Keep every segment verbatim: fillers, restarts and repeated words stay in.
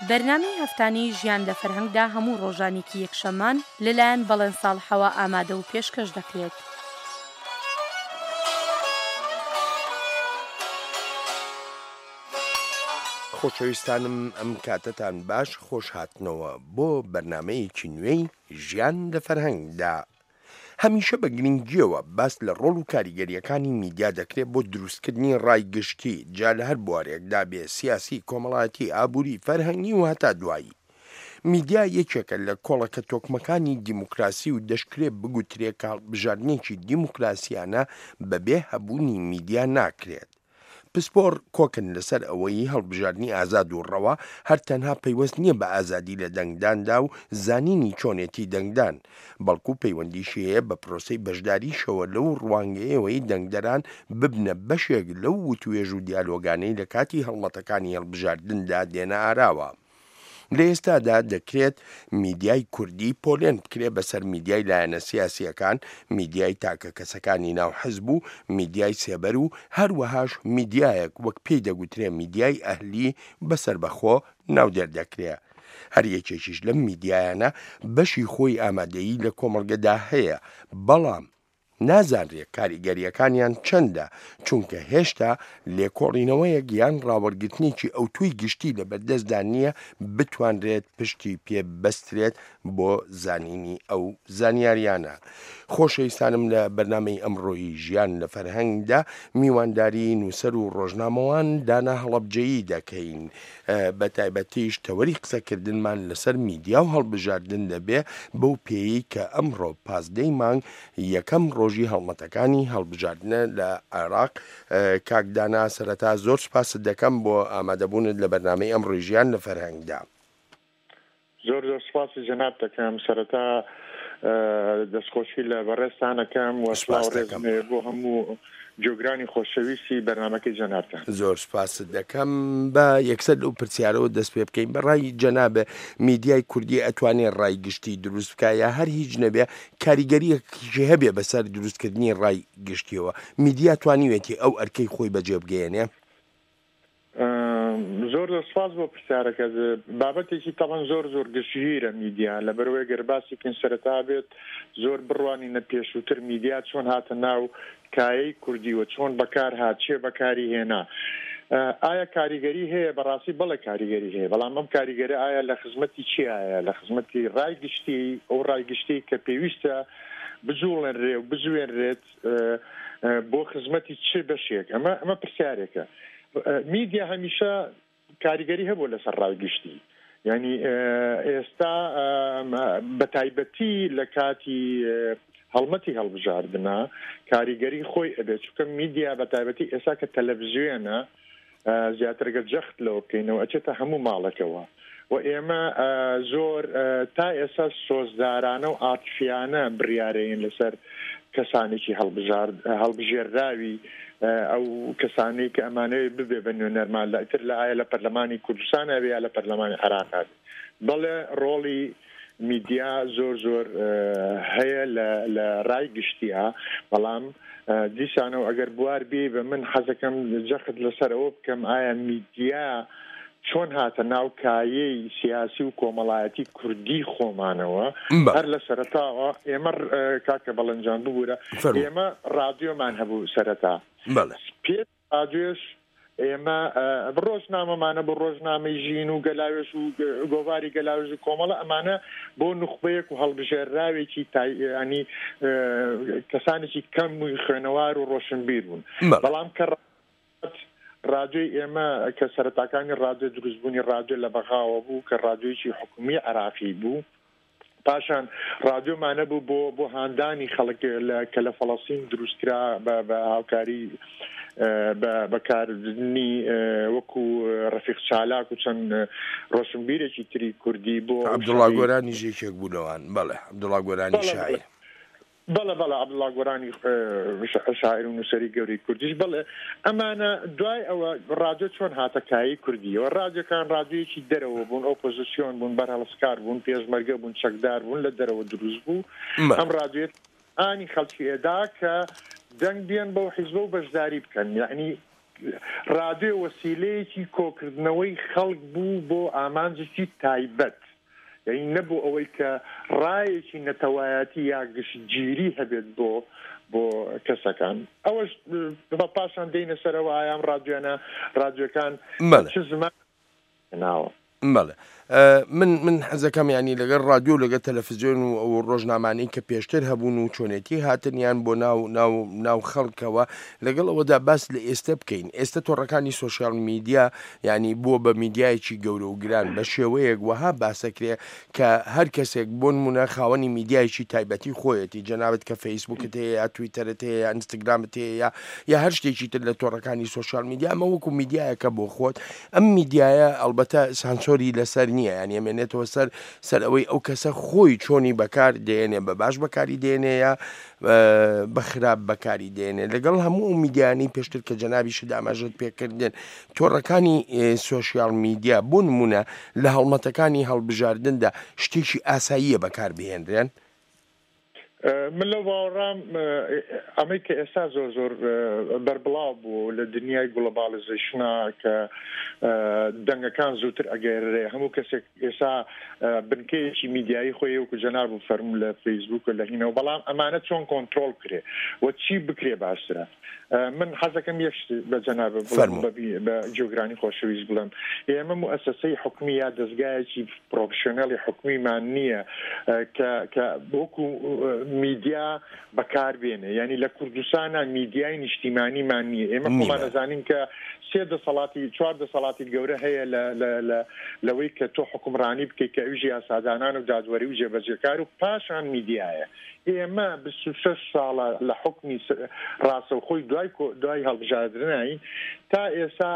بەرنامەی هەفتانەی ژیان لە فەرهەنگدا هەموو ڕۆژانێکی یەکشەممان لەلایەن بەڵێن ساڵحەوە ئامادە و پێشکەش دەکرێت. خۆشەویستانم ئەم کاتەتان باش، خۆش هاتنەوە بۆ بەرنامەیەکی نوێی ژیان لە فەرهەنگدا. هەمیشە بە گرنگیەوە باس لە ڕۆڵ و کاریگەریەکانی میدیا دەکرێت بۆ دروستکردنی ڕای گشتی، جا لە هەر بوارێکدا بێ، سیاسی، کۆمەڵایەتی، ئابووری، فەرهەنگی و هەتا دوایی. میدیا یەکێکە لە کۆڵەکە تۆکمەکانی دیموکراسی و دەشکرێ بگوترێ کە هەڵبژاردنێکی دیموکراسیانە بەبێ هەبوونی میدیا ناکرێت. پسپۆڕ کۆکن لەسەر ئەوەی هەڵبژاردنی ئازاد و ڕەوا هەر تەنها پەیوەست نییە بە ئازادی لە دەنگداندا و زانینی چۆنێتی دەنگدان، بەڵکو پەیوەندیشی هەیە بە پرۆسەی بەشداریشەوە لەو ڕوانگەیەوەی دەنگدەران ببنە بەشێک لەو وتوێژ و دیالۆگانەی لە کاتی هەڵمەتەکانی هەڵبژاردندا دێنە ئاراوە. لە ئێستادا دەکرێت میدیای کوردی پۆلێن بکرێ بەسەر میدیای لایەنە سیاسییەکان، میدیای تاکە کەسەکانی ناو حزب و میدیای سێبەر و هەروەهاش میدیایەک وەک پێی دەگوترێ میدیای ئەهلی بە سەربەخۆ ناودێر دەکرێ. هەر یەکێکیش لەم میدیایانە بەشی خۆی ئامادەیی لە کۆمەڵگەدا هەیە، بەڵام نازانرێ کاریگەرییەکانیان چەندە، چونکە هێشتا لێکۆڵینەوەیەک یان ڕاوەرگرتنێکی ئەوتۆی گشتی لەبەردەستدا نییە بتوانرێت پشتی پێ ببەسترێت بۆ زانینی ئەو زانیاریانە. خۆشەویستانم لە بەرنامەی ئەمڕۆیی ژیان لە فەرهەنگدا میوانداری نووسەر و ڕۆژنامەوان دانا هەڵەبجەیی دەکەین، بە تایبەتیش تەوەری قسەکردنمان لەسەر میدیا و هەڵبژاردن دەبێ، بەو پێیەی کە ئەمڕۆ پازدەی مانگ یەکەم ڕۆژی هەڵمەتەکانی هەڵبژاردنە لە عێراق. کاک دانا سەرەتا زۆر سوپاست دەکەم بۆ ئامادەبوونت لە بەرنامەی ئەمڕۆی ژیان لە فەرهەنگدا. زۆر زۆر سوپاسی جەنابت دەکەم. سەرەتا دەستخۆشی لە بەڕێزتان ئەکەم و سڵاو سوپاست دەکەم. ڕێزم بۆ هەموو گوێگرانی خۆشەویستی بەرنامەکەی جەنابتان. زۆر سوپاست دەکەم. با یەکسەر لەو پرسیارەوە دەست پێ بکەین. بە ڕای جەنابێ میدیای کوردی ئەتوانێ ڕای گشتی دروست بکا یا هەر هیچ نەبێ کاریگەریەکی هەبێ بەسەر دروستکردنی ڕای گشتیەوە؟ میدیا توانیوێتی ئەو ئەرکەی خۆی بەجێ بگەیەنێ؟ زۆر زۆر سپاس بۆ پرسیارەکە. بابەتێکی تەبەن زۆر زۆر گشتگیرە میدیا، لەبەرەوەی گەر باسی بکەین سەرەتا بێت زۆر بڕوانینە پێشووتر میدیا چۆن هاتە ناو کایەی کوردی و چۆن بەکار هات، چێ بەکاری هێنا، ئایا کاریگەری هەیە؟ بەڕاستی بەڵێ کاریگەری هەیە، بەڵام ئەم کاریگەری ئایا لە خزمەتی چیایە؟ لە خزمەتی ڕای گشتی، ئەو ڕای گشتی کە پێویستە بجوڵێنرێ و بزوێنرێت بۆ خزمەتی چ بەشێک؟ ئەمە ئەمە پرسیارێکە. میدیا هەمیشە کاریگەری هەبوو لەسەر ڕای گشتی، یعنی ئێستا بە تایبەتی لە کاتی هەڵمەتی هەڵبژاردنە کاریگەری خۆی ئەبێت، چونکە میدیا بە تایبەتی ئێستا کە تەلەڤزیۆنە زیاتر گەر جەخت لەوە بکەینەوە ئەچێتە هەموو ماڵەکەوە و ئێمە زۆر تا ئێستا سۆزدارانە و عاتفیانە بڕیارەین لەسەر کەسانێکی هەڵبژێراوی ئەو کەسانەی کە ئەمانەوێت ببێ بە نوێنەرمان لە ئیتر لە ئایا لە پەرلەمانی کوردستان هەبێ یا لە پەرلەمانی عێراق هەبێ. بەڵێ ڕۆڵی میدیا زۆر زۆر هەیە لە ڕای گشتیە، بەڵام دیسانەوە ئەگەر بوار بێ بە من حەزەکەم جەخت لەسەر ئەوە بکەم ئایا میدیا چۆن هاتە ناو کایەی سیاسی و کۆمەڵایەتی کوردی خۆمانەوە؟ هەر لە سەرەتاوە ئێمە کاکە بەڵێنجان ببوورە، ئێمە ڕادیۆمان هەبوو سەرەتا، پێش ڕادیۆش ئێمە ڕۆژنامەمانە بۆ ڕۆژنامەی ژین و گەلاوێژ و گۆڤاری گەلاوێژ و کۆمەڵە، ئەمانە بۆ نوخبەیەک و هەڵبژێراوێکی ینی کەسانێکی کەم و خوێنەوار و ڕۆشنبیر بوون. بەڵام کە ڕادیۆی ئێمە کە سەرەتاکانی ڕادیۆ دروستبوونی ڕادیۆ لە بەغاوە بوو کە ڕادیۆیەکی حکومی عێراقی بوو، پاشان ڕادیۆمانە بوو بۆ بۆ هاندانی خەڵک کە لە فەڵەستین دروستکرا بە هاوکاری بەکارنی وەکو ڕەفیق چالاک و چەند ڕۆشنبیرێکی تری کوردی بۆ عەبدوڵا گۆرانیش یەکێک بوو لەوان. بەڵێ عەبدوڵا گۆرانی شاعیر. بەڵێ بەڵێ عەبدوڵا گۆرانی شاعیر و نووسەری گەورەی کوردیش. بەڵێ ئەمانە دوای ئەوە ڕادیۆ چۆن هاتە کایی کوردیەوە؟ ڕادیۆکان ڕادیۆیەکی دەرەوە بوون، ئۆپۆزیسیۆن بوون، بەرهەڵستکار بوون، پێشمەرگە بوون، چەکدار بوون، لە دەرەوە دروست بوو. ئەم ڕادیۆ ئانی خەڵکی ئێدا کە دەنگ بێن بەو حیزبە و بەشداری بکەن، یعنی ڕادیۆ وەسیلەیەکی کۆکردنەوەی خەڵک بوو بۆ ئامانجێکی تایبەت، یعنی نەبوو ئەوەی کە ڕایەکی نەتەوایەتی یا گشتگیری هەبێت بۆ بۆ کەسەکان. ئەوەش بە پاشان دێینە سەرەوە ئایام ڕادیۆیانە ڕادیۆکان چ زمان ناوە. بەڵێ من من حەزەکەم ینی لەگەڵ ڕادیۆ لەگەڵ تەلەفزیۆن و ئەو ڕۆژنامانەی کە پێشتر هەبوون و چۆنێتی هاتنیان بۆ ناو ناو ناو خەڵکەوە، لەگەڵ ئەوەدا باس لە ئێستا بکەین. ئێستا تۆڕەکانی سۆشیال میدیا ینی بووە بە میدیایەکی گەورە و گران بە شێوەیەک وەها باسەکرێ کە هەر کەسێک بۆ نمونە خاوەنی میدیایەکی تایبەتی خۆیەتی، جەنابت کە فەیسبوکت هەیە یا تویتەرت هەیە یا ئینستاگرامت هەیە یا یا هەر شتێکی تر لە تۆڕەکانی سۆشیال میدیا، ئەمە وەکو میدیایەکە بۆ خۆت. ئەم میدیایە ئەلبەتە سانسۆری لەسەر نییە، یعنی ئەمێنێتەوە سەر سەر ئەوەی ئەو کەسە خۆی چۆنی بەکار دێنێ، بە باش بەکاری دێنێ یا بە خراپ بەکاری دێنێ. لەگەڵ هەموو ئەو میدیانی پێشتر کە جەنابیشت ئاماژەت پێکردن، تۆڕەکانی سۆشیال میدیا بۆ نمونە لە هەڵمەتەکانی هەڵبژاردندا شتێکی ئاساییە بەکار بهێنرێن؟ من لەو باوەڕام ئەمەی کە ئێستا زۆر زۆر بەربڵاو بوو لە دنیای گلۆبالیزەیشنا کە دەنگەکان زووتر ئەگەرێ، هەموو کەسێک ئێستا بنکەیەکی میدیایی خۆی وەکو جەناب و فەرموو لە فەیسبوک و لە هینەوە، بەڵام ئەمانە چۆن کۆنترۆڵ بکرێ و چی بکرێ باشترە؟ من حەزەکەم یەک شت بە جەناب بڵێم، بە جیۆگرانی خۆشەویست بڵێم، ئێمە موئەسەسەی حکومی یا دەستگایەکی پرۆفشنەلی حکومیمان نییە کە کە وەکو میدیا بەکار بێنێ. یعنی لە کوردستانە میدیای نیشتیمانیمان نییە. ئێمە خۆمان ئەزانین کە سێ دەسەڵاتی چوار دەسەڵاتی گەورە هەیە لەوەی کە تۆ حکومڕانی بکەیت کە ئەویش یاسادانان و دادوەری و جێبەجێکار و پاشان میدیایە. ئێمە بیست و شەش ساڵە لە حکمی ڕاستەوخۆی دوای دوای هەڵبژاردنین تا ئێستا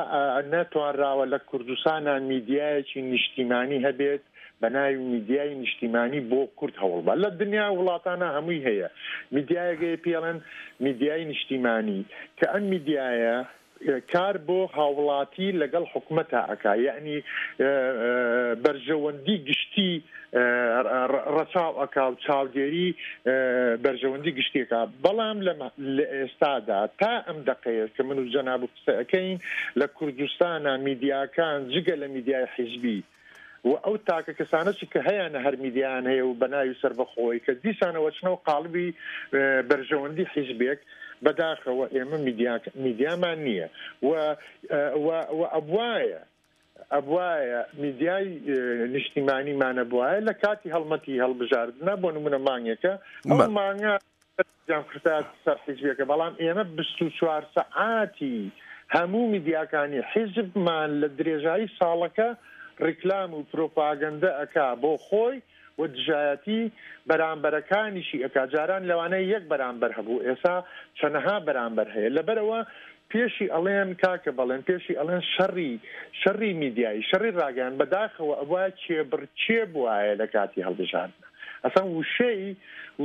نەتوانراوە لە کوردستانە میدیایەکی نیشتیمانی هەبێت بە ناوی میدیای نیشتیمانی بۆ کورد هەوڵبە. لە دنیا وڵاتانە هەمووی هەیە میدیایەکەی پێڵێن میدیای نیشتیمانی، کە ئەم میدیایە کار بۆ هاوڵاتی لەگەڵ حکومەتە ئەکا، یعنی بەرژەوەندی گشتی ڕەچاو ئەکا و چاودێری بەرژەوەندی گشتیەکە. بەڵام لە ئێستادا تا ئەم دەقەیە کە من و جەناب و قسە ئەکەین لە کوردستانە میدیاکان جگە لە میدیای حیزبی و ئەو تاکە کەسانەشی کە هەیەە هەر میدیان هەیە و بە ناوی سەربەخۆی کە دیسانەوە چنەوە قاڵبی بەرژەوەندی حیزبێک، بەداخەوە ئێمە میدیامان نییە و ئەبوایە ئەبوایە میدیای نیشتیمانیمانە بوایە لە کاتی هەڵمەتی هەڵبژاردنە بۆ نمونە مانگێکە ئەو مانگە خستە سەر حیزبێکە، بەڵام ئێمە بیست و چوار سەعاتی هەموو میدیاکانی حیزبمان لە درێژایی ساڵەکە ڕیکلام و پرۆپاگەندە ئەکا بۆ خۆی و دژایەتی بەرامبەرەکانیشی ئەکا. جاران لەوانەیە یەک بەرامبەر هەبوو، ئێستا چەنەها بەرامبەر هەیە. لەبەرەوە پێشی ئەڵێن کاکە بەڵێن پێشی ئەڵێن شەڕی شەڕی میدیایی شەڕی ڕاگەیان بەداخەوە ئەوە کێبڕکێ بوایە لە کاتی هەڵبژاردنە. ئەسڵەن وشەی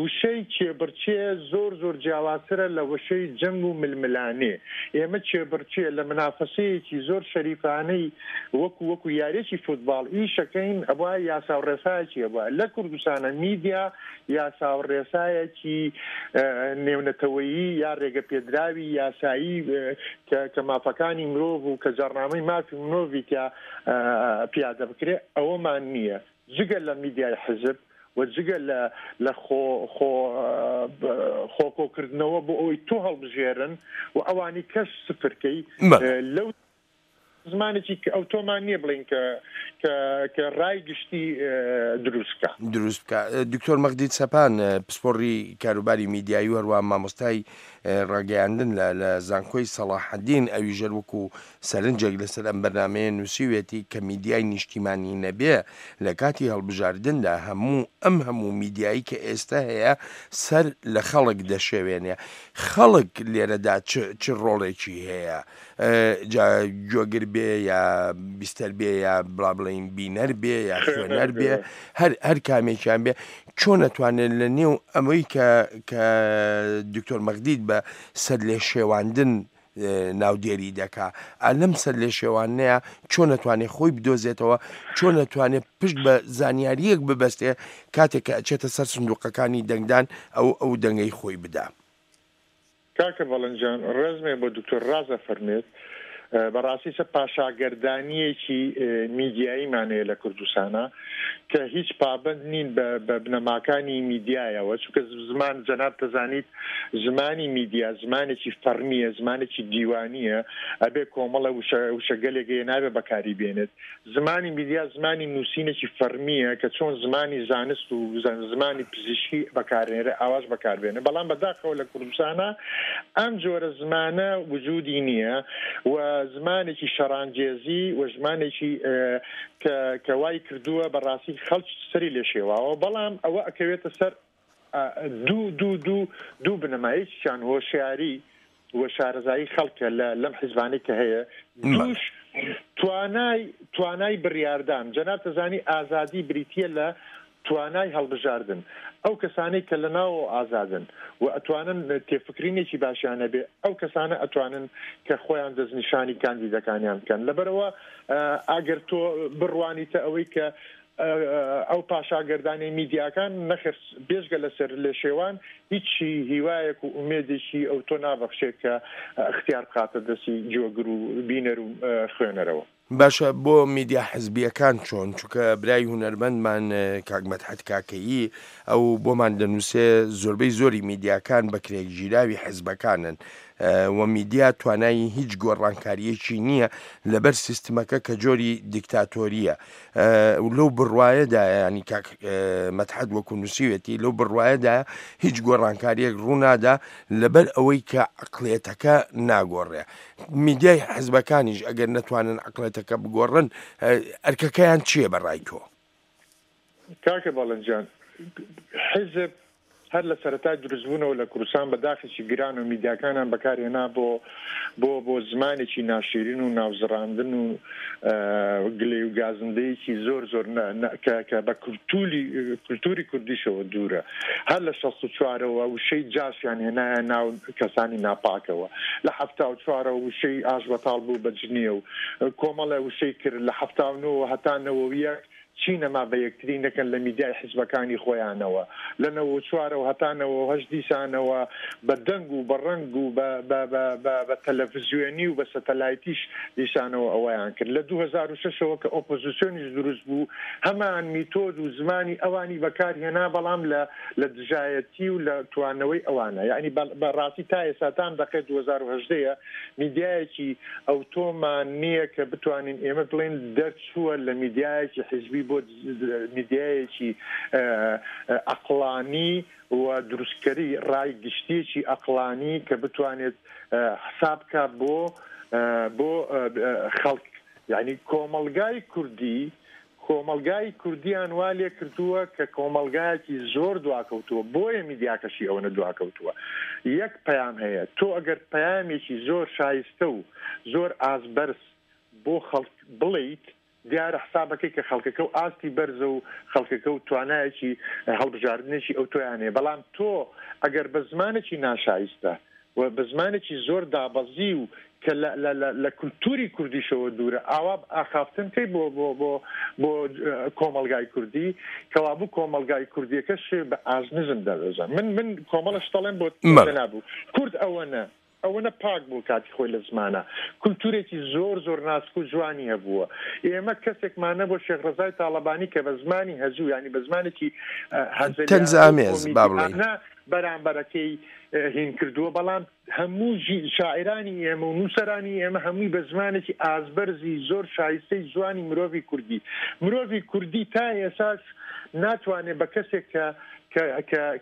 وشەی کێبڕکێ زۆر زۆر جیاوازترە لە وشەی جەنگ و ململانێ. ئێمە کێبڕکێ لە منافەسەیەکی زۆر شەریفانەی وەکو وەکو یاریەکی فوتباڵ ئیشەکەین ئەوە یاسا و ڕێسایەکی ئەوە لە کوردستانە میدیا یاسا و ڕێسایەکی نێونەتەوەیی یا ڕێگەپێدراوی یاسایی کە مافەکانی مرۆڤ و کە جارنامەی مافی مرۆڤی کە پیادە بکرێ ئەوەمان نییە. جگە لە میدیای حیزب و جگە لە خۆکۆکردنەوە بۆ ئەوەی تۆ هەڵبژێرن و ئەوانی کەس سفرکەی لەو زمانێکی کە ئەو تۆمان نییە بڵین کە کە ڕای گشتی دروست بکە دروست بکە. دکتۆر مەغدید سەپان پسپۆڕی کاروباری میدیایی و هەروە مامۆستای ڕاگەیاندن لە زانکۆی سەڵاحەدین ئەویژەر وەکو سەرنجێک لەسەر ئەم بەرنامەیە نووسیوێتی کە میدیای نیشتیمانی نەبێ لە کاتی هەڵبژاردندا هەموو ئەم هەموو میدیایی کە ئێستا هەیە سەر لە خەڵک دەشێوێنێ. خەڵک لێرەدا چ ڕۆڵێکی هەیە؟ جا گوێگر بێ یا بیستەر بێ یا بڵا بڵێین بینەر بێ یا خوێنەر بێ، هەر هەر کامێکیان بێ، چۆن ئەتوانێت لە نێو ئەمەی کە کە دکتۆر مەغدید بە سەر لێ شێواندن ناودێری دەکا، لەم سەر لێ شێوانەیە چۆن ئەتوانێت خۆی بدۆزێتەوە، چۆن ئەتوانێت پشت بە زانیاریەک ببەستێ کاتێک کە ئەچێتە سەر سندوقەکانی دەنگدان ئەو ئەو دەنگەی خۆی بدا؟ کاکە بەڵنجان ڕێزمێ بۆ دکتۆر ڕازە فەرمێت. بەڕاستی سە پاشاگەردانیەکی میدیاییمان هەیە لە کوردستانە کە هیچ پابند نین بە بنەماکانی میدیایەوە، چونکە زمان جەناب دەزانیت زمانی میدیا زمانێکی فەرمیە، زمانێکی دیوانیە، ئەبێ کۆمەڵە وشەگەلێک هەیە نابێ بەکاری بێنێت. زمانی میدیا زمانی نووسینێکی فەرمیە کە چۆن زمانی زانست و زمانی پزیشکی بەکارێنرێ ئاواش بەکاربێنێ، بەڵام بەداخەوە لە کوردستانە ئەم جۆرە زمانە وجودی نییە و زمانێکی شەڕانگێزی و زمانێکی کە وای کردووە بەڕاستی خەڵک سەری لێ شێواوە. بەڵام ئەوە ئەکەوێتە سەر دوو دوو دوو دوو بنەما، یەکیان هۆشیاری و شارەزایی خەڵکە لەم حیزبانەی کە هەیە، دووش توانای توانای بڕیاردان. جەناب دەزانی ئازادی بریتییە لە توانای هەڵبژاردن. ئەو کەسانەی کە لە ناوەوە ئازادن و ئەتوانن تێفکرینێکی باشیان هەبێ، ئەو کەسانە ئەتوانن کە خۆیان دەستنیشانی کاندیدەکانیان بکەن. لەبەرەوە ئەگەر تۆ بڕوانیتە ئەوەی کە ئەو پاشاگەردانی میدیاکان نەخێر بێژگە لەسەر لێشێوان هیچی هیوایەک و ئومێدێکی ئەو تۆ نابەخشێت کە اختیار بخاتە دەستی جۆگر و بینەر و خوێنەرەوە. باشە بۆ میدیا حزبیەکان چۆن؟ چونکە برای هونەرمەندمان کاک مەدحەت کاکەیی ئەو بۆمان دەنووسێ زۆربەی زۆری میدیاکان بە کرێگیراوی حزبەکانن و میدیا توانایی هیچ گۆڕانکاریەکی نییە لەبەر سیستمەکە کە جۆری دیکتاتۆریە. لەو بڕوایەدا ینی کاک مەدحەت وەکو نووسیوێتی لەو بڕوایەدا هیچ گۆڕانکاریەک ڕوونادا لەبەر ئەوەی کە عقلێتەکە ناگۆڕێ. میدیای حزبەکانیش ئەگەر نەتوانن عقلێتەکە بگۆڕن ئەرکەکەیان چییە بەڕای تۆ؟ کاکە بەڵێنجان، حیزب هەر لە سەرەتای دروستبوونەوە لە کوردستان بە داخێکی گران و میدیاکانیان بەکارهێنا بۆ بۆ بۆ زمانێکی ناشیرین و ناوزڕاندن و گلێ و گازندەیەکی زۆر زۆر کە بە کولتوری کوردیشەوە دوورە. هەر لە شەست و چوارەوە وشەی جاشیان هێنایە ناو کەسانی ناپاکەوە، لە حەفتا و چوارەوە وشەی ئاش بەتاڵ بوو بە جنیە و کۆمەڵە وشەی کرد، لە حەفتا و نۆوە هەتا نەوە و یەک چی نەما بە یەکتری نەکەن لە میدیای حیزبەکانی خۆیانەوە، لە نەوە چوارەوە هەتا نەوە هەشت دیسانەوە بە دەنگ و بە ڕەنگ و بە تەلەڤیزیۆنی و بە سەتەلایتیش دیسانەوە ئەوەیان کرد. لە دوو هەزار و شەشەوە کە ئۆپۆزیسیۆنیش دروست بوو هەمان میتۆد و زمانی ئەوانی بەکارهێنا، بەڵام لە دژایەتی و لە توانەوەی ئەوانە. یعنی بەڕاستی تا ئێستا تام دەقێت دوو هەزار و هەژدەیە میدیایەکی ئەوتۆمان نییە کە بتوانین ئێمە بڵێن دەرچووە لە میدیایەکی حیزبی بۆ میدیایەکی ئەقلانی و دروستکەری ڕای گشتیەکی ئەقلانی کە بتوانێت حساب بکات بۆ بۆ خەڵک. یعنی کۆمەلگای کوردی کۆمەلگای کوردیان وا لێ کردووە کە کۆمەلگایەکی زۆر دواکەوتووە، بۆیە میدیاکەشی ئەوەنە دواکەوتووە. یەک پەیام هەیە، تۆ ئەگەر پەیامێکی زۆر شایستە و زۆر ئازبەرز بۆ خەڵک بڵیت، دیارە حسابەکەی کە خەڵکەکە و ئاستی بەرزە و خەڵکەکە و توانایەکی هەڵبژاردنێکی ئەو تۆیان هەیە، بەڵام تۆ ئەگەر بە زمانێکی ناشایستە و بە زمانێکی زۆر دابەزی و کە لە کولتوری کوردیشەوە دوورە ئاوا ئاخافتن کەی بۆ بۆ بۆ بۆ کۆمەلگای کوردی، کەوابوو کۆمەلگای کوردیەکەش بە ئازنزم دەبێزە. من من کۆمەڵە شتەڵێم بۆ نابوو کورد ئەوە ئەوەنە پاک بوو کاتی خۆی لە زمانە، کولتورێکی زۆر زۆر ناسک و جوانی هەبووە. ئێمە کەسێکمان نەبوو شێخ ڕەزای تاڵەبانی کە بە زمانی هەزوو، ینی بە زمانێکی تەنزئامێز با بڵێین بەرامبەرەکەی هین کردووە، بەڵام هەموو شاعرانی ئێمە و نووسەرانی ئێمە هەمووی بە زمانێکی ئازبەرزی زۆر شایستەی جوانی مرۆڤی کوردی. مرۆڤی کوردی تا ئێساش ناتوانێت بە کەسێک کە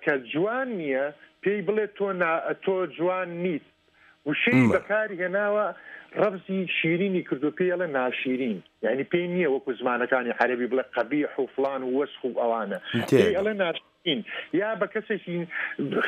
کە جوان نییە پێی بڵێ تۆ تۆ جوان نیت، وشەی بەکاری هێناوە ڕەبزی شیرینی کردو پێی ئەڵێ ناشیرین، یعنی پێی نییە وەکو زمانەکانی عەرەبی بڵێ قەبیح و فلان و وەسخ و ئەوانە، پێی ئەڵێ ناشیرین، یا بە کەسێکی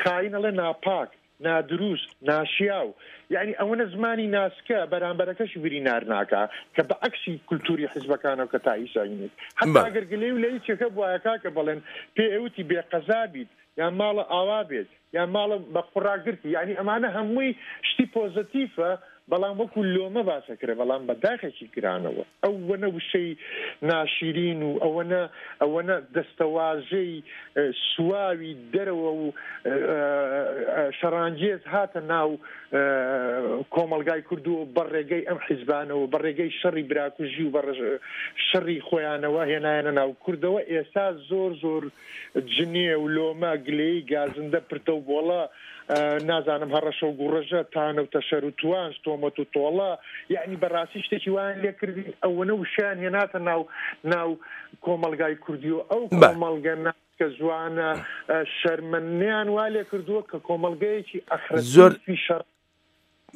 خاین ئەڵێ ناپاک، نادروست، ناشیاو. یعنی ئەوەنە زمانی ناسکە بەرامبەرەکەش برینار ناکا کە بە عەکسی کولتوری حیزبەکانەوە کە تا ئیسا هینێت. حتا ئەگەر گلەی و لە هیچێکە بوایە کاکە بڵێن پێ ئەوتی بێقەزا بیت یان ماڵە ئاوا بێت یان ماڵە بە قوڕاگرتی، یعنی ئەمانە هەمووی شتی پۆزەتیفە، بەڵام وەکو لۆمە باسەکرێ، بەڵام بە داخێکی گرانەوە. ئەوەنە وشەی ناشیرین و ئەوەنە ئەوەنە دەستەواژەی سواوی دەرەوە و شەڕانگێز هاتە ناو کۆمەلگای کوردووە بە ڕێگەی ئەم حیزبانەوە، بە ڕێگەی شەڕی براکوژی و بە شەڕی خۆیانەوە هێنایەنە ناو کوردەوە. ئێستا زۆر زۆر جنێ و لۆمە، گلەیی، گازندە، پرتە و بۆڵە، نازانم هەڕەشە و گوڕەژە، تانە و تەشەر و توانج، تۆمەت و تۆڵە، یعنی بەڕاستی شتێکی وایان لێ کردین. ئەوەنە وشیان هێناتە ناو ناو کۆمەلگای کوردی و ئەو کۆمەلگە کە زوانە شەرمەنیان وا لێ کردووە کە کۆمەلگەیەکی ئەخرەتی شەڕ.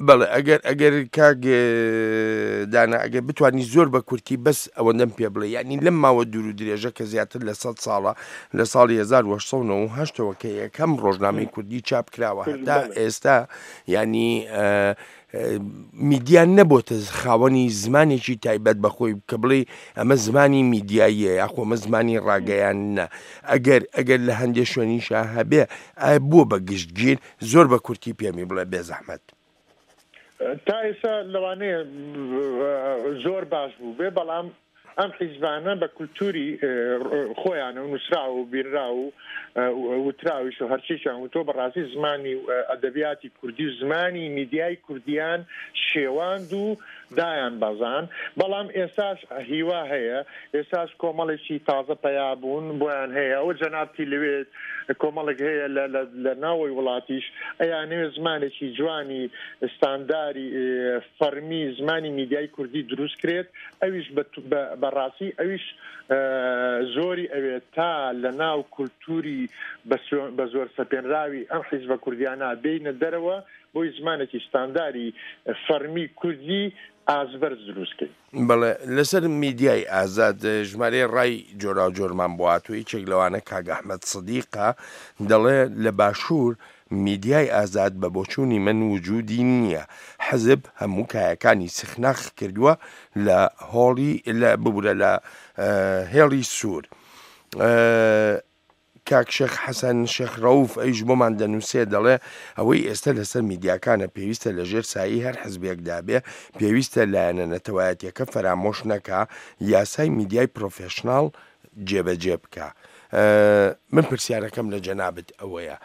بەڵێ، ئەگەر ئەگەر کاک دانا ئەگەر بتوانی زۆر بە کورتی بەس ئەوەندەم پێ بڵێ، یعنی لەم ماوە دوور و درێژە کە زیاتر لە سەد ساڵە، لە ساڵی هەزار و هەشت سەد و نەوەد و هەشتەوە کە یەکەم ڕۆژنامەی کوردی چاپ کراوە هەتا ئێستا، یعنی میدیا نەبۆتە خاوەنی زمانێکی تایبەت بەخۆی کە بڵێ ئەمە زمانی میدیاییە یاخۆ ئەمە زمانی ڕاگەیاندنە. ئەگەر ئەگەر لە هەندێک شوێنیشا هەبێ ئایا بووە بە گشتگیر؟ زۆر بە کورتی پێمی بڵێ بێزەحمەت. تا ئێستا لەوانەیە زۆر باش بوو بێ، بەڵام ئەم حیزبانە بە کولتوری خۆیانە و نووسراوە و بیررا و وتراویش و هەرچیشیان وتۆ، بەڕاستی زمانی ئەدەبیاتی کوردی و زمانی میدیای کوردیان شێواند و دایان بەزان. بەڵام ئێستاش هیوا هەیە، ئێستاش کۆمەڵێکی تازە پەیا بوون بۆیان هەیە. ئەوە جەنابتی لەوێت کۆمەڵێک هەیە لە ناوەی وڵاتیش ئەیانەوێت زمانێکی جوانی ستانداری فەرمی زمانی میدیای کوردی دروست کرێت، ئەویش بەڕاستی ئەویش زۆری ئەوێت تا لە ناو کولتوری بە زۆر سەپێنراوی ئەم حیزبە کوردیانە بینە دەرەوە بۆی زمانێکی ستانداری فەرمی کوردی ئازبەرز دروستکەین. بەڵێ، لەسەر میدیای ئازاد ژمارەی ڕای جۆراوجۆرمان بۆ هاتوو. یەکێک لەوانە کاک ئەحمەد سدیقە دەڵێ لە باشوور میدیای ئازاد بە بۆچوونی من وجودی نییە، حەزب هەموو کایەکانی سخناخ کردووە لە هۆڵی لە ببورە لە هێڵی سوور. کاک شێخ حەسەن شێخ ڕەوف ئەیش بۆمان دەنووسێ دەڵێ ئەوەی ئێستا لەسەر میدیاکانە پێویستە لەژێر سایی هەر حزبێکدا بێ، پێویستە لایەنە نەتەوایەتیەکە فەرامۆش نەکا، یاسای میدیای پرۆفێشناڵ جێبەجێ بکە. من پرسیارەکەم لە جەنابت ئەوەیە،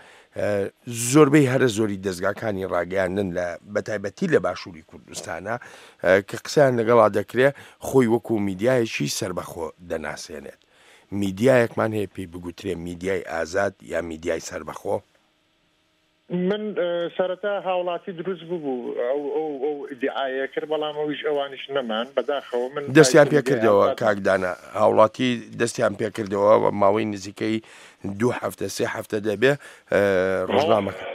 زۆربەی هەرە زۆری دەستگاکانی ڕاگەیاندن لە بەتایبەتی لە باشووری کوردستانە کە قسەیان لەگەڵا دەکرێ خۆی وەکو میدیایەکی سربەخۆ دەناسێنێت. میدیایەکمان هەیە پێی بگوترێ میدیای ئازاد یا میدیای سربەخۆ؟ من سەرەتا هاوڵاتی دروست ببوو ئەو ئەو ئەو ئیدعایە کرد، بەڵام ئەویش ئەوانیش نەمان بەداخەوە. من دەستیان پێکردەوە کاکدانە، هاوڵاتی دەستیان پێکردەوە و ماوەی نزیکەی دوو هەفتە سێ هەفتە دەبێ ڕۆژنامەکە.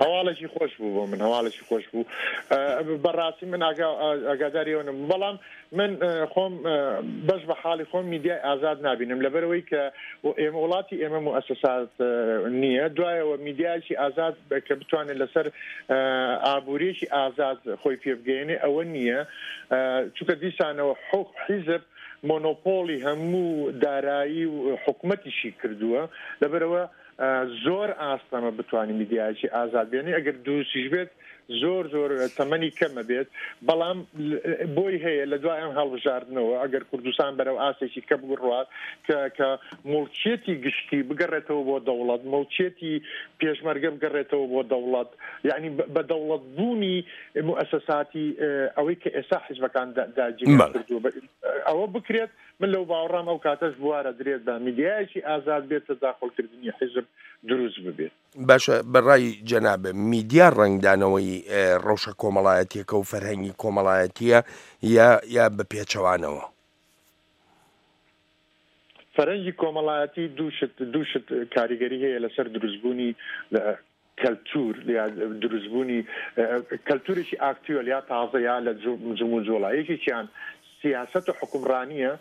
هەواڵێکی خۆش بوو بۆ من، هەواڵێکی خۆش بوو بەڕاستی. من ئاگاداری ئەوە نەبووم، بەڵام من خۆم بەش بە حاڵی خۆم میدیای ئازاد نابینم، لەبەرەوەی کە ئێمە وڵاتی ئێمە موئەسەسات نییە. دوایەوە میدیایەکی ئازاد کە بتوانێت لەسەر ئابووریەکی ئازاد خۆی پێبگەیەنێ ئەوە نییە، چونکە دیسانەوە حیزب مۆنۆپۆلی هەموو دارایی و حکومەتیشی کردووە. لەبەرەوە زۆر ئاستەمە بتوانین میدیایەکی ئازاد بێنی، ئەگەر دروستیش بێت زۆر زۆر تەمەنی کەمە بێت، بەڵام بۆی هەیە لە دوای ئەم هەڵبژاردنەوە ئەگەر کوردستان بەرەو ئاستێکی کە بڕوات کە کە موڵکیەتی گشتی بگەڕێتەوە بۆ دەوڵەت، موڵکیەتی پێشمەرگە بگەڕێتەوە بۆ دەوڵەت، یعنی بە دەوڵەت بوونی موئەسەساتی ئەوەی کە ئێستا حیزبەکان داگیریان کردووە ئەوە بکرێت. من لەو باوەڕام ئەو کاتەش بوارە درێت بە میدیایەکی ئازاد بێت تەداخڵکردنی حیزب دروست ببێت. باشە، بەڕای جەنابە میدیا ڕەنگدانەوەی ڕەوشە کۆمەڵایەتیەکە و فەرهەنگی کۆمەڵایەتیە یا یا بە پێچەوانەوە؟ فەرهەنگی کۆمەڵایەتی دوو شت دوو شت کاریگەری هەیە لەسەر دروستبوونی کەلتور یا دروستبوونی کەلتورێکی ئاکتوێل یا تازە یا لە جموجۆڵە. یەکێکیان سیاسەت و حکومڕانیە،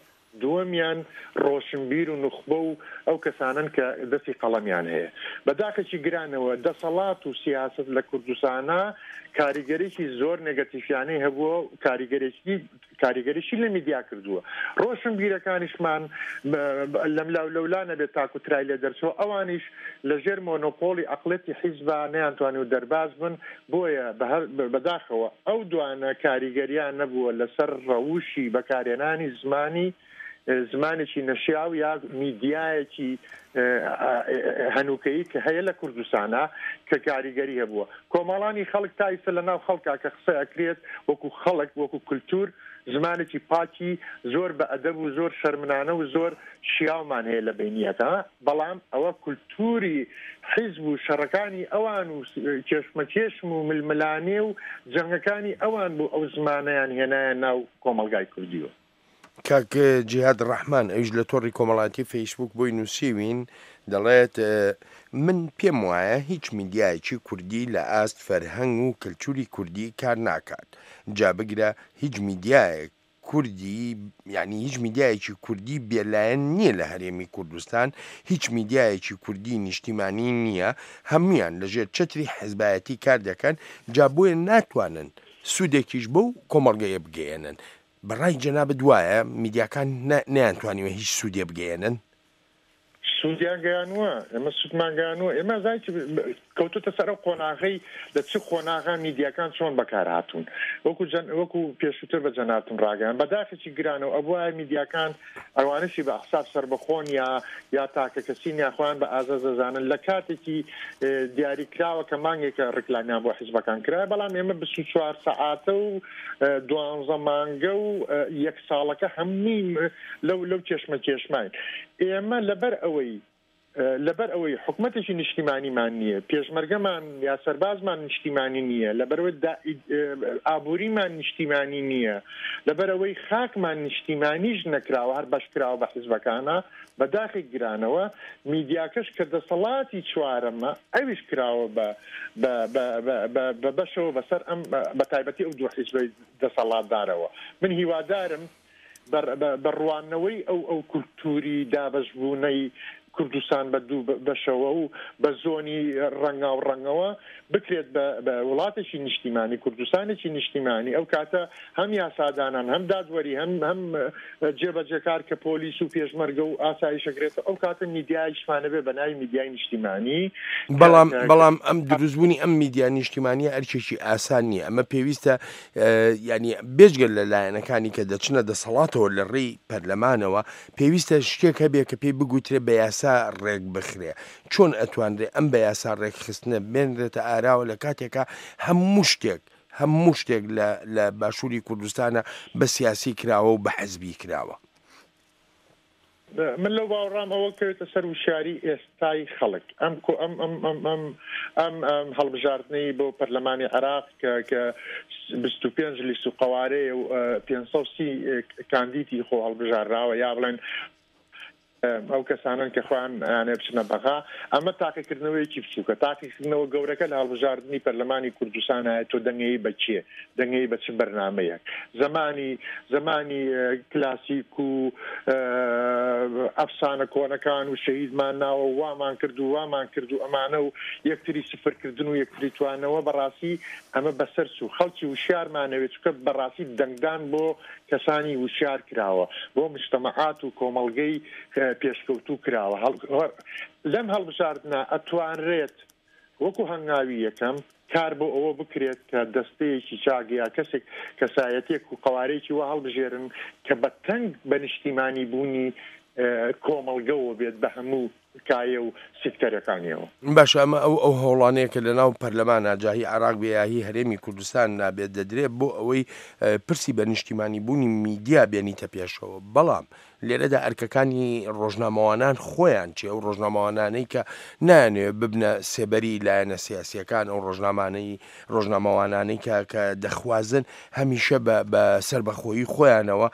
دووەمیان ڕۆشنبیر و نوخبە و ئەو کەسانن کە دەستی قەڵەمیان هەیە. بەداخێکی گرانەوە دەسەڵات و سیاست لە کوردستانە کاریگەریی زۆر نێگەتیفیانەی هەبووە، کاریگەریی کاریگەریشی لە میدیا کردووە. ڕۆشنبیرەکانیشمان لەملا و لەولا نەبێت تاکو ترای لێ دەرچەوە، ئەوانیش لەژێر مۆنۆپۆلی عەقڵێتی حیزبا نەیانتوانی و دەرباز بن. بۆیە بەداخەوە ئەو دوانە کاریگەریان نەبووە لەسەر ڕەوشی بەکارهێنانی زمانی زمانێکی نەشیاو یا میدیایەکی هەنووکەیی کە هەیە لە کوردستانە کە کاریگەری هەبووە. کۆمەڵانی خەڵک تا ئیستا لە ناو خەڵکا کە قسە ئەکرێت وەکو خەڵک وەکو کولتور زمانێکی پاکی زۆر بە ئەدەب و زۆر شەرمنانە و زۆر شیاومان هەیە لە بینیەکە، بەڵام ئەوە کولتوری حیزب و شەڕەکانی ئەوان و کێشمەکێشم و ململانێ و جەنگەکانی ئەوان بوو ئەو زمانیان هێنایە ناو کۆمەڵگای کوردیەوە. کاک جیهاد ڕەحمان ئەویش لە تۆڕی کۆمەڵاتی فەیسبوک بۆی نووسیوین دەڵێت من پێم وایە هیچ میدیایەکی کوردی لە ئاست فەرهەنگ و کەلتوری کوردی کار ناکات، جا بگرە هیچ میدیایەک کوردی یعنی هیچ میدیایەکی کوردی بێلایەن نییە لە هەرێمی کوردستان، هیچ میدیایەکی کوردی نیشتیمانی نییە، هەمویان لەژێر چەتری حزبایەتی کار دەکەن، جا بۆیە ناتوانن سوودێکیش بەو کۆمەڵگەیە بگەیەنن. بەڕای جەنابت وایە میدیاکان نەیانتوانیوە هیچ سوودێ بگەیەنن؟ سوودیان گەیانووە، ئێمە سوودمان گەیانووە. ئێمە زانیت کەوتوتە سەر ئەو قۆناغەی لە چ قۆناغا میدیاکان چۆن بەکار هاتوون، وەکو وەکو پێشووتر بە جەنابتم ڕاگەیان بەداخێکی گرانەوە ئەبوایە میدیاکان ئەوانەشی بە حساب سەربەخۆن یا یا تاکە کەسین یا خۆیان بە ئازاد دەزانن لە کاتێکی دیاریکراوە کە مانگێکە ڕیکلامیان بۆ حیزبەکان کرایە، بەڵام ئێمە بیست و چوار سەعاتە و دوانزە مانگە و یەک ساڵەکە هەمووی لەو لەو کێشمە کێشماین. ئێمە لەبەر ئەوەی لەبەر ئەوەی حکومەتێکی نیشتیمانیمان نییە، پێشمەرگەمان یا سەربازمان نیشتیمانی نییە، لەبەرەوەی ئابووریمان نیشتیمانی نییە، لەبەرەوەی خاکمان نیشتیمانیش نەکراوە، هەر بەشکراوە بە حیزبەکانە، بەداخی گرانەوە میدیاکەش کە دەسەڵاتی چوارەمە ئەویش کراوە بە بەشەوە بەسەر ئەم بە تایبەتی ئەو دوو حیزبەی دەسەڵاتدارەوە. من هیوادارم بە ڕوانەوەی ئەو ئەو کولتوری دابەشبوونەی کوردستان بە دوو بەشەوە و بە زۆنی ڕەنگا و ڕەنگەوە بکرێت بە وڵاتێکی نیشتیمانی، کوردستانێکی نیشتیمانی. ئەو کاتە هەم یاسادانان، هەم دادوەری، هەم هەم جێبەجێکار کە پۆلیس و پێشمەرگە و ئاسایشەگرێتەوە، ئەو کاتە میدیایشمانە بێ بە ناوی میدیای نیشتیمانی. بەڵام بەڵام ئەم دروستبوونی ئەم میدیا نیشتیمانیە ئەرکێکی ئاسان نییە. ئەمە پێویستە ینی بێجگە لە لایەنەکانی کە دەچنە دەسەڵاتەوە لە ڕێی پەرلەمانەوە، پێویستە شتێک هەبێ کە پێی بگوترێ بە یاسا ڕێک بخرێ. چۆن ئەتوانرێ ئەم بە یاسا ڕێکخستنە بێنرێتە ئاراوە لە کاتێکە هەموو شتێک هەموو شتێک لە باشووری کوردستانە بە سیاسی کراوە و بە حەزبی کراوە؟ من لەو باوەڕام ئەوە کەوێتە سەر وشیاری ئێستای خەڵک. ئەم ئەم ئەم ئەم ئەم ئەم ئەم هەڵبژاردنەی بۆ پەرلەمانی عێراق کە کە بیست و پێنج لیست و قەوارەیە و پێنج سەد و سی کاندیدی خۆ هەڵبژاردراوە، یا بڵێن ئەو کەسانن کە خۆیان ئەیانێ بچنە بەغا، ئەمە تاقیکردنەوەیەکی بچووکە. تاقیکردنەوە گەورەکە لە هەڵبژاردنی پەرلەمانی کوردستان هەیە. تۆ دەنگەی بە کێ، دەنگەی بە چ بەرنامەیەک؟ زمانی زمانی کلاسیک و ئەفسانە کۆنەکان و شەهیدمان ناوە وامان کرد و وامان کرد و ئەمانە و یەکتری سفرکردن و یەکتری توانەوە، بەڕاستی ئەمە بەسەر چوو. خەڵکی وشیارمانەوێت، چونکە بەڕاستی دەنگدان بۆ کەسانی وشیار کراوە، بۆ مجتەمەعات و کۆمەڵگەی پێشکەوتوو کراوە. لەم هەڵبژاردنە ئەتوانرێت وەکو هەنگاوی یەکەم کار بۆ ئەوە بکرێت کە دەستەیەکی چاک یا کەسێک کەسایەتێک و قەوارەیەکی وا هەڵبژێرن کە بە تەنگ بە نیشتیمانی بوونی کۆمەڵگەوە بێت بە هەموو کایە و سێکتەرەکانیەوە. باشە، ئەمە ئەو ئەو هەوڵانەیە کە لەناو پەرلەمانە جاهی عێراق بێ یا هی هەرێمی کوردستان نابێت دەدرێت بۆ ئەوەی پرسی بە نیشتیمانی بوونی میدیا بێنیتە پێشەوە. بەڵام لێرەدا ئەرکەکانی ڕۆژنامەوانان خۆیان چێ، ئەو ڕۆژنامەوانانەی کە نایانەوێت ببنە سێبەری لایەنە سیاسیەکان، ئەو ڕۆژنامانەی ڕۆژنامەوانانەی کە کە دەخوازن هەمیشە بە سەربەخۆیی خۆیانەوە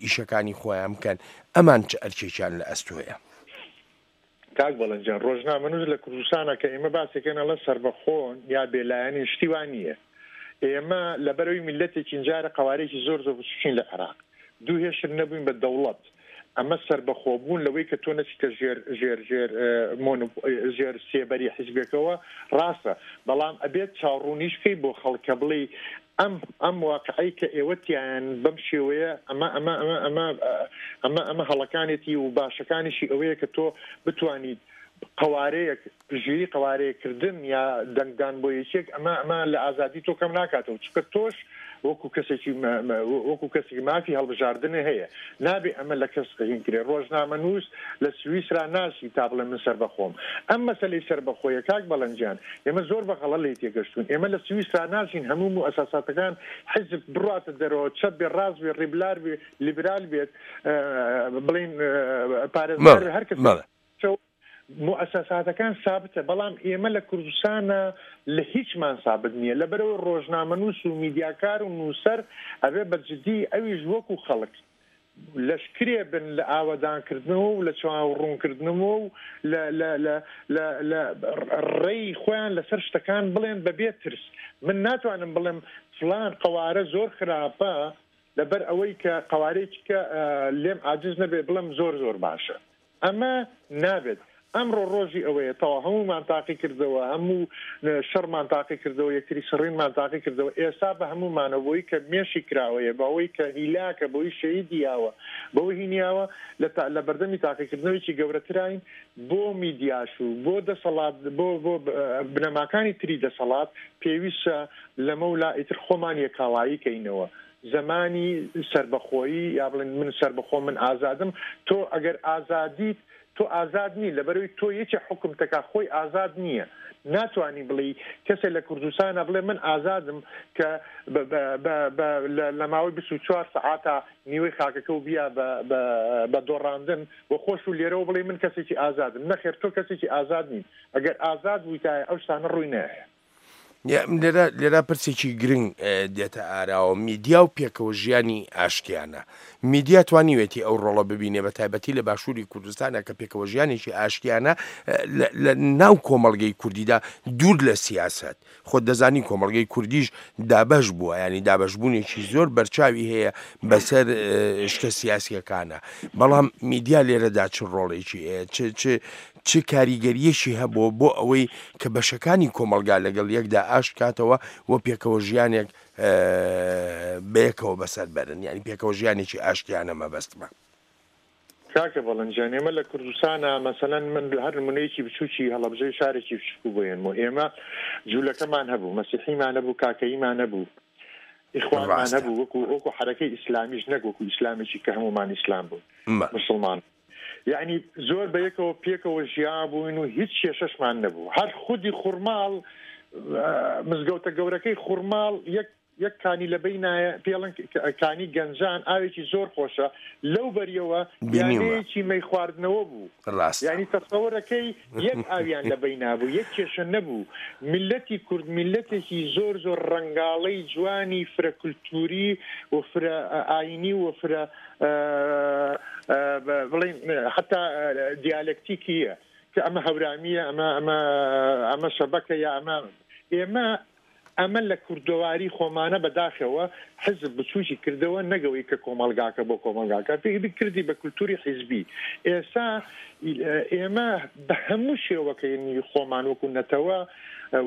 ئیشەکانی خۆیان بکەن، ئەمان چ ئەرکێکیان لە ئەستۆیە؟ کاک بەڵێنجان، ڕۆژنامەنووس لە کوردستانە کە ئێمە باسێکەن ئەڵێ سەربەخۆن یا بێلایەنین، شتی وا نییە. ئێمە لەبەرەوەی میللەتێکی جارە قەوارێکی زۆر زۆر بچووکین لە عێراق، دوو هێشتر نەبووین بە دەوڵەت، ئەمە سربەخۆبوون لەوەی کە تۆ نەچیتە ژێر ژێر ژێر ژێر سێبەری حیزبێکەوە ڕاستە، بەڵام ئەبێت چاوڕوونیش بکەی بۆ خەڵکە بڵێ ئەم ئەم واقعی کە ئێوەتیان بەم شێوەیە ئەمە ئەمە ئەمە ئەمە ئەمە ئەمە هەڵەکانێتی و باشەکانیشی ئەوەیە کە تۆ بتوانیت قوارەیەک پژیری قوارەیەکردن یا دەنگدان بۆ یەکێک ئەمە ئەمە لە ئازادی تۆ کەم ناکاتەوە، چونکە تۆش وەکو کەسێکی وەکو کەسێکی مافی هەڵبژاردنە هەیە، نابێ ئەمە لە کەس هینکرێ. ڕۆژنامەنووس لە سویسرا ناسی تا بڵێ من سەربەخۆم. ئەم مەسەلەی سەربەخۆیە کاک بەڵەنجیان ئێمە زۆر بە غەڵە لێی تێگەشتوون. ئێمە لە سویسرا ناشین هەموو موئەساساتەکان حیزب بڕاتە دەرەوە، چەپ بێ، ڕاست بێ، ڕیبلار بێ، لیبرال بێت، بڵین پارێزگار بێ، هەر کەس موئەساساتەکان سابتە. بەڵام ئێمە لە کوردستانە لە هیچمان سابت نییە، لەبەرەوە ڕۆژنامەنووس و میدیاکار و نووسەر ئەبێ بە جدی ئەویش وەکو خەڵک لەشکرێ بن لە ئاوەدانکردنەوە و لە چاوەڕوونکردنەوە و لە ڕێی خۆیان لەسەر شتەکان بڵێن بەبێ ترس. من ناتوانم بڵێم فلان قەوارە زۆر خراپە لەبەر ئەوەی کە قەوارەیەکی کە لێم عاجز نەبێ بڵێم زۆر زۆر باشە، ئەمە نابێت. ئەمڕۆ ڕۆژی ئەوەیە تەوا هەموومان تاقی کردەوە، هەموو شەڕمان تاقی کردەوە، یەکتری سڕینمان تاقی کردەوە. ئێستا بە هەموومانەوە بۆی کە مێشی کراوەیە، بەوەی کە هیلاکە، بۆی شەهیدی یاوە، بەوەی هینیاوە لە بەردەمی تاقیکردنەوەیکی گەورەتراین بۆ میدیاش و بۆ دەسەڵات، بۆ بۆ بنەماکانی تری دەسەڵات پێویستە لەمەولا ئیتر خۆمان یەکاڵایی کەینەوە. زمانی سربەخۆیی یا بڵێن من سربەخۆ، من ئازادم. تۆ ئەگەر ئازادیت تۆ ئازاد نی، لەبەرەوەی تۆ یەکێ حکم تەکا خۆی ئازاد نییە. ناتوانی بڵێ کەسێک لە کوردستانە بڵێ من ئازادم کە لە ماوەی بیست و چوار سەعاتە نیوەی خاکەکە و بیا بە دۆڕاندن و خۆش و لێرەوە بڵێ من کەسێکی ئازادم. نەخێر، تۆ کەسێکی ئازاد نیت. ئەگەر ئازاد بوویتایە ئەو شتانە ڕووی نایە. لێرە لێرە پرسێکی گرنگ دێتە ئاراوە، میدیا و پێکەوە ژیانی ئاشتیانە. میدیا توانیوێتی ئەو ڕۆڵە ببینێ بە تایبەتی لە باشووری کوردستانە کە پێکەوە ژیانێکی ئاشتیانە لە ناو کۆمەڵگەی کوردیدا دوور لە سیاسەت. خۆت دەزانی کۆمەڵگەی کوردیش دابەش بووە، ینی دابەشبوونێکی زۆر بەرچاوی هەیە بەسەر شتە سیاسیەکانە. بەڵام میدیا لێرەدا چ ڕۆڵێکی هەیە، چ چ کاریگەریەکی هەبوو بۆ ئەوەی کە بەشەکانی کۆمەلگا لەگەڵ یەکدا ئاشت کاتەوە و پێکەوە ژیانێک بەیەکەوە بەسەر بەرن، یعنی پێکەوە ژیانێکی ئاشتیانە مەبەستمە. کاکە بەڵەنجان، ئێمە لە کوردستانە مەسەلەن من هەر نمونەیەکی بچووکی هەڵەبجەی شارێکی بچووک بۆیەنمەوە. ئێمە جوولەکەمان هەبوو، مەسیحیمان هەبوو، کاکەییمان هەبوو، ئیخوانمان هەبوو، وەکو وەکو حەرەکەی ئیسلامیش نەک وەکو ئیسلامێکی کە هەمومان ئیسلام بوون، مسلمان. یعنی زۆر بە یەکەوە پێکەوە ژیا بووین و هیچ کێشەشمان نەبوو. هەر خودی خورماڵ، مزگەوتە گەورەکەی خورماڵ یەک یەک کانی لە بینایە پێڵن کانی گەنجان، ئاوێکی زۆر خۆشە، لەو بەریەوە یانەیەکی مەی خواردنەوە بوو. یعنی تەسەوەرەکەی یەک ئاویان لە بەینا بوو، یەک کێشە نەبوو. میلەتی کورد میلەتێکی زۆر زۆر ڕەنگاڵەی جوانی فرە کولتوری و فرە ئاینی و فرە بڵێن حتا دیالەکتیکیە کە ئەمە هەورامیە، ئەمە ئەمە ئەمە شەبەکە یا ئەمە ئێمە ئەمە لە کوردەواری خۆمانە بەداخەوە حزب بچووکی کردەوە، نەگەوەی کە کۆمەلگاکە بۆ کۆمەلگاکە کردی بە کولتوری حیزبی. ئێستا ئێمە بە هەموو شێوەکەی خۆمان وەکو نەتەوە،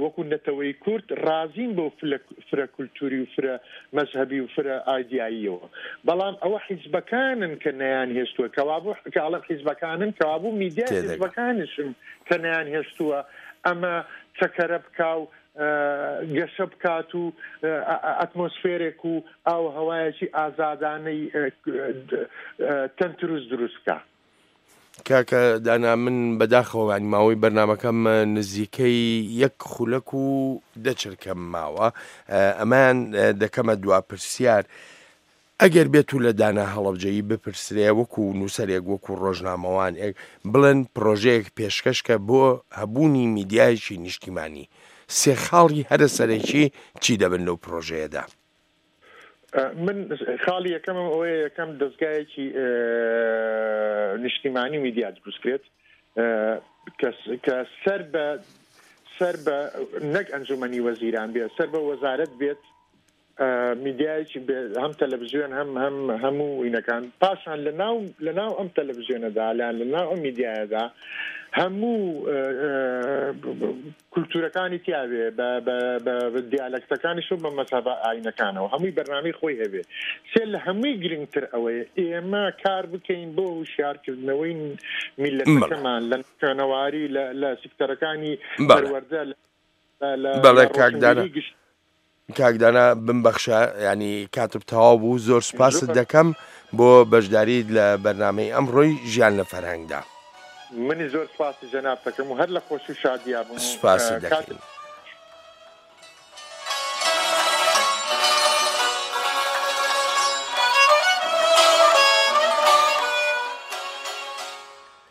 وەکو نەتەوەی کورد ڕازین بۆ فرە کولتوری و فرە مەزهەبی و فرە ئایدیاییەوە. بەڵام ئەوە حیزبەکانن کە نەیان هێشتووە، کەوابوو کە ئەڵێم حیزبەکانن، کەوابوو میدیای حیزبەکانیشن کە نەیان هێشتووە ئەمە چەکەرە بکا و گەشە بکات و ئەتمۆسفێرێک و ئاو هەوایەکی ئازادانەی تەندروست دروست بکە. کاکە دانا، من بەداخەوە ینی ماوەی بەرنمەکەم نزیکەی یەک خولەک و دەچرکەم ماوە، ئەمان دەکەمە دوا پرسیار. ئەگەر بێت و لە دانا هەڵەبجەیی بپرسرێ وەکو نووسەرێک وەکو ڕۆژنامەوانێک بڵێن پرۆژەیەک پێشکەشکە بۆ هەبوونی میدیایەکی نیشتیمانی، سێ خاڵی هەرە سەرەکی چی دەبن لەو پرۆژەیەدا؟ من خاڵی یەکەمم ئەوەیە یەکەم دەستگایەکی نیشتیمانی میدیا دروستکرێت کە سەر بە سەر بە نەک ئەنجومەنی وەزیران بێت، سەر بە وەزارەت بێت، میدیایەکی هەم تەلەڤزیۆن هەم هەم هەموو ئینەکان، پاشان لە ناو لە ناو ئەم تەلەڤزیۆنەدا لە لە ناو ئەم میدیایەدا هەموو کولتوورەکانی تیاوێ بە دیالەکتەکانی شو بە مەزهەبە ئاینەکانەوە هەمووی بەرنامەی خۆی هەبێ. سێ لە هەمووی گرنگتر ئەوەیە ئێمە کار بکەین بۆ هوشیارکردنەوەی میللەتەکەمان لە خوێنەواری لە سیکتەرەکانی پەروەردە لە بەڵێ کاک دانا کاک دانا بمبەخشە، ینی کاتب تەواو بوو. زۆر سوپاست دەکەم بۆ بەشداریت لە بەرنامەی ئەمڕۆی ژیان لە فەرهەنگدا. منی زۆر سپاسی جەنابتەکەم و هەر لە خۆشی و شادیا بووم. سپاست دەکەین.